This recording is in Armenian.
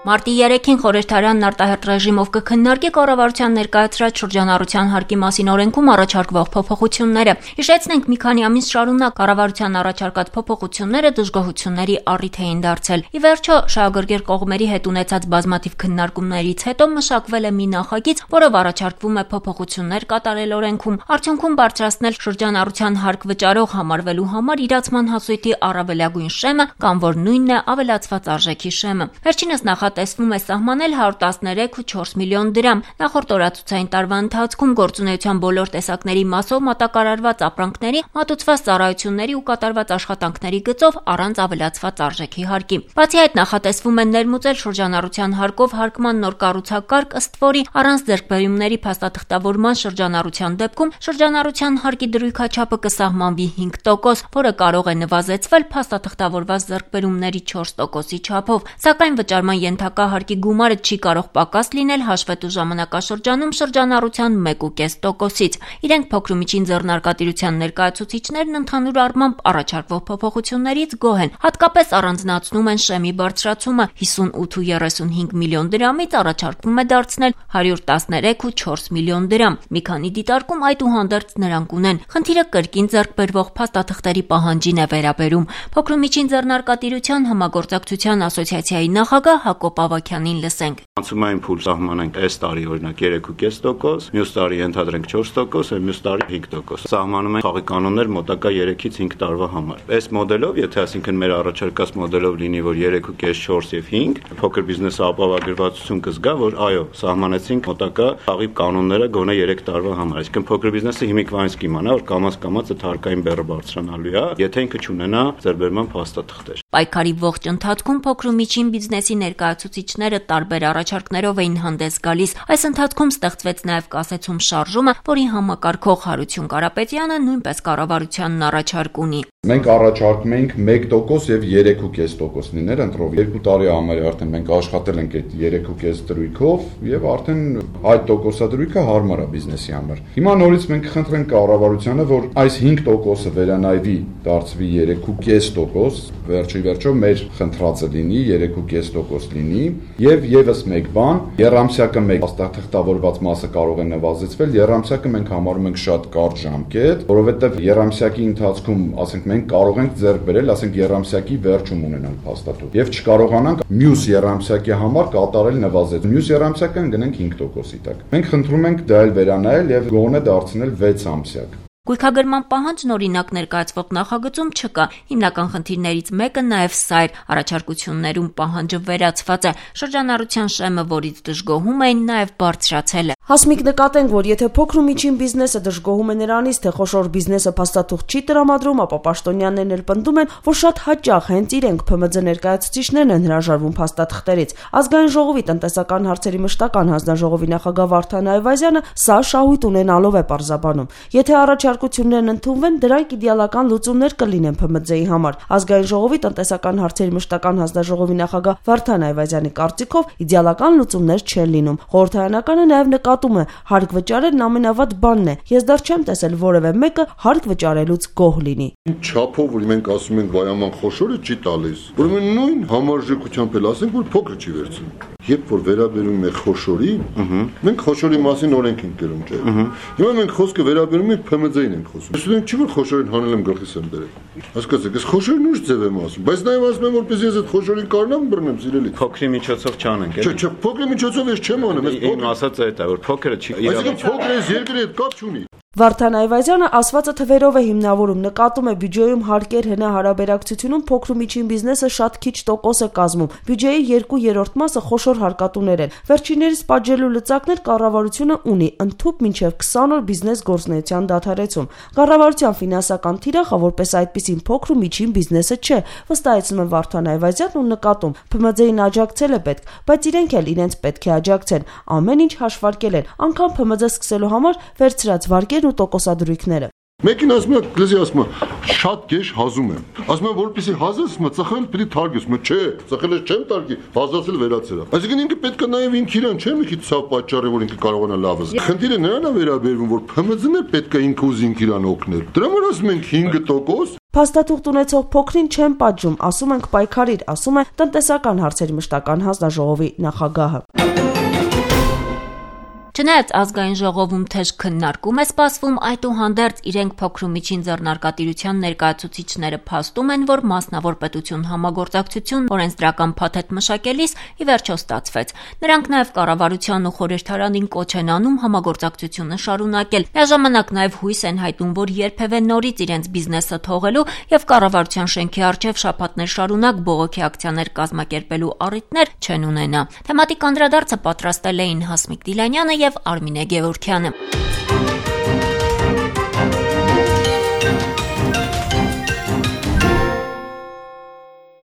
Մարտի 3-ին խորհրդարանն արտահերթ ռեժիմով կքննարկի կառավարության ներկայացրած շրջանառության հարկի մասին օրենքում առաջարկվող փոփոխությունները։ Հիշեցնենք, մի քանի ամիս շարունակ կառավարության առաջարկած փոփոխությունները դժգոհությունների առիթ էին դարձել։ Ի վերջո, շահագրգիռ կողմերի հետ ունեցած բազմաթիվ քննարկումներից հետո մշակվել է մի նախագիծ, որով առաջարկվում է փոփոխություններ կատարել օրենքում, արդյունքում բարձրացնել շրջանառության հարկ վճարող համարվելու համար իրացման հասույթի առավելագույն շեմը կամ որ նույնն է ավելացված արժեքի շեմը։ Վերջինս նախատեսվում է սահմանել 113,4 միլիոն դրամ։ Նախորդ օրացուցային տարվա ընթացքում գործունեության բոլոր տեսակների մասով մատակարարված ապրանքների, մատուցված ծառայությունների ու կատարված աշխատանքների գծով առանց ավելացված արժեքի հարկի։ Բացի այդ, նախատեսվում է ներմուծել շրջանառության հարկով հարկման նոր կառուցակարգ, ըստ որի առանց ձեռքբերումների փաստաթղթավորման շրջանառության դեպքում շրջանառության հարկի դրույքաչափը կսահմանվի 5%, որը կարող է նվազեցվել փաստաթղթավորված ձեռքբերումների 4%-ի չափով, սակայն վճարման ենթակա հարկի գումարը չի կարող պակաս լինել հաշվետու ժամանակաշրջանում շրջանառության 1,5%-ից։ Իրենք փոքր ու միջին ձեռնարկատիրության ներկայացուցիչներն ընդհանուր առմամբ առաջարկվող փոփոխություններից գոհ են, հատկապես առանձնացնում են շեմի բարձրացումը 58,35 միլիոն դրամից առաջարկվում է դարձնել 113,4 միլիոն դրամ։ Մի քանի դիտարկում այդուհանդերձ նրանք ունեն, խնդիրը կրկին ձեռքբերվող փաստաթղթերի պահանջին է վերաբերում։ Փոքր ու միջին ձեռնարկատիրության համագործակցության ասոցիացիայի նախագահ Հակոբ Ավագյանին լսենք։ Անցումային փուլ սահմանենք այս տարի օրինակ 3,5%, մյուս տարի ենթադրենք 4%, եւ մյուս տարի 5%։ Սահմանում են խաղի կանոններ մոտակա 3-ից 5 տարվա համար։ Այս մոդելով, եթե այսինքն մեր առաջարկած մոդելով լինի, որ 3,5, 4 եւ 5, փոքր բիզնեսը ապահովագրվածություն կզգա, որ այո, սահմանեցինք մոտակա խաղի կանոնները գոնե 3 տարվա համար։ Այսինքն փոքր բիզնեսը հիմիկվանից կիմանա, որ կամաց այդ հարկային բեռը բարձրանալու է, եթե ինքը չունենա ձեռքբերման փաստաթղթեր։ Պայքարի ողջ ընթացքում փոքր ու միջին բիզնեսի ներկայացուցիչները տարբեր առաջարկներով էին հանդես գալիս։ Այս ընթացքում ստեղծվեց նաև կասեցում շարժումը, որի համակարգող Հարություն Կարապետյանը նույնպես կառավարությանն առաջարկ ունի։ Մենք առաջարկում ենք 1% եւ 3,5% լիներ ընտրով։ 2 տարի համար արդեն մենք աշխատել ենք այդ 3,5 դրույքով եւ արդեն այդ տոկոսադրույքը հարմար է բիզնեսի համար։ Հիմա նորից մենք խնդրենք կառավարությանը, որ այս 5%-ը վերանայվի, դարձվի 3,5%, վերջո մեր խնդրածը լինի 3,5% լինի եւ եւս մեկ բան, երամսյակը մեկ փաստաթղթավորված մասը կարող է նվազեցվել, երամսյակը մենք համարում ենք շատ կարճ ժամկետ, որովհետեւ երամսյակի ընթացքում, ասենք մենք կարող ենք ձեռք բերել, ասենք երամսյակի վերջում ունենանք փաստաթուղթ եւ չկարողանանք մյուս երամսյակի համար կատարել նվազեցում։ Մյուս երամսյակը ընկնենք 5%-ի տակ։ Մենք խնդրում ենք դա էլ վերանայել եւ գոնե դարձնել 6 ամսյակ։ Գույքագրման պահանջն օրինակ ներկայացվող նախագծում չկա։ Հիմնական խնդիրներից մեկը նաև սա էր, առաջարկություններում պահանջը վերացված է, շրջանառության շեմը, որից դժգոհում էին, նաև բարձրացել է։ Հասմիկ, նկատենք, որ եթե փոքր ու միջին բիզնեսը դժգոհում է նրանից, թե խոշոր բիզնեսը փաստաթուղթ չի տրամադրում, ապա պաշտոնյաներն էլ պնդում են, որ շատ հաճախ հենց իրենք ՓՄՁ ներկայացուցիչներն են հրաժարվում փաստաթղթերից։ Ազգային ժողովի տնտեսական հարցերի մշտական հանձնաժողովի նախագահ Վարդան Այվազյանը սա շահույթ ունենալով է պարզաբանում։ Եթե առաջարկություններն ընդունվեն, դրանք իդեալական լուծումներ կլինեն ՓՄԶ-ի համար։ Ազգային ժողովի տնտեսական հարցերի մշտական հանձնաժողովի նախագահ Վարդան Այվազյանի կարծիքով իդեալական լուծումներ չեն լինում։ Խորհրդարանականը նաև նկատում է, հարկ վճարելն ամենավատ բանն է։ Ես դեռ չեմ տեսել որևէ մեկը հարկ վճարելուց գոհ լինի։ Չափով որ մենք ասում ենք վայաման խոշորը չի տալիս, ուրեմն նույն համարժեքությամբ էլ ասենք, որ փոքրը չի վերցնում։ Երբ որ վերաբերում է խոշորի, մենք խոշորի մասին օրենք ենք գրում, չէ՞։ Հիմա մենք խոսքը վերաբերում ենք ՓՄԶ-ին ենք խոսում։ Ես ուզում չի որ խոշորին հանել եմ գլխիս եմ դրել։ Հասկացեք, ես խոշորին ուժ ձև եմ ասում, բայց նաև ասում եմ որպես ես այդ խոշորին կարողանամ բռնեմ սիրելի։ Փոքրի միջոցով չանենք, էլի։ Չէ, փոքրի միջոցով ես չեմ անում, ես փոքր ասած է դա, որ փոքրը չի իրավիճակում։ Այսինքն փոքրը ես երկրի հետ կապ չունի։ Վարդան Այվազյանը ասվածը թվերով է հիմնավորում, նկատում է բյուջեում հարկեր հենահարաբերակցությունում փոքր ու միջին բիզնեսը շատ քիչ տոկոս է կազմում, բյուջեի 2/3 մասը խոշոր հարկատուներ են։ Վերջիններիս պատժելու լծակներ կառավարությունը ունի, ընդհուպ մինչև 20 օր բիզնես գործունեության դադարեցում։ Կառավարության ֆինանսական թիրախը որպես այդպիսին փոքր ու միջին բիզնեսը չէ, վստահեցնում է Վարդան Այվազյանն ու նկատում, ՓՄԶ-ին աջակցել է պետք, բայց իրենք էլ իրենց պետք է աջակցեն, ամեն ինչ հաշվարկել են, անգամ ՓՄԶ սկսելու համար վերցրած վարկերն ու տոկոսադրույքները։ Մեկին ասում է, լեզի ասում է, շատ գեշ հազում եմ։ Ասում եմ, որպեսզի հազես, ծխել պիտի թարգես, չէ, ծխել ես չեմ թարգի, հազասել վերացել։ Այսինքն ինքը պետք է նաև ինքը իրան չէ՞ մի քիչ ցավ պատճառի, որ ինքը կարողանա լավ զգալ։ Խնդիրը նրան է վերաբերվում, որ ՓՄԶ-ն է պետք է ինքը ուզի ինքը իրան օգնել։ Դրա համար ասում ենք 5%։ Փաստաթուղթ ունեցող փոքրին չեն պատժում, ասում ենք պայքարիր, ասում է տնտեսական հարցերի մշտական հանձնաժողովի նախագահը։ Չնայած ազգային ժողովում թեժ քննարկում է սպասվում, այդուհանդերձ իրենք փոքր ու միջին ձեռնարկատիրության ներկայացուցիչները փաստում են, որ մասնավոր պետություն համագործակցություն օրենսդրական փաթեթ մշակելիս ի վերջո ստացվեց։ Նրանք նաև կառավարության ու խորհրդարանին կոչ են անում համագործակցությունը շարունակել։ Միաժամանակ նաև հույս են հայտնում, որ երբևէ նորից իրենց բիզնեսը թողելու եւ կառավարության շենքի առջև շաբաթներ շարունակ բողոքի ակցիաներ կազմակերպելու առիթներ չեն ունենա։ Թեմատիկ անդրադարձը պատրաստել էին Հասմիկ Դիլանյանը եւ Արմինե Գևորգյանը։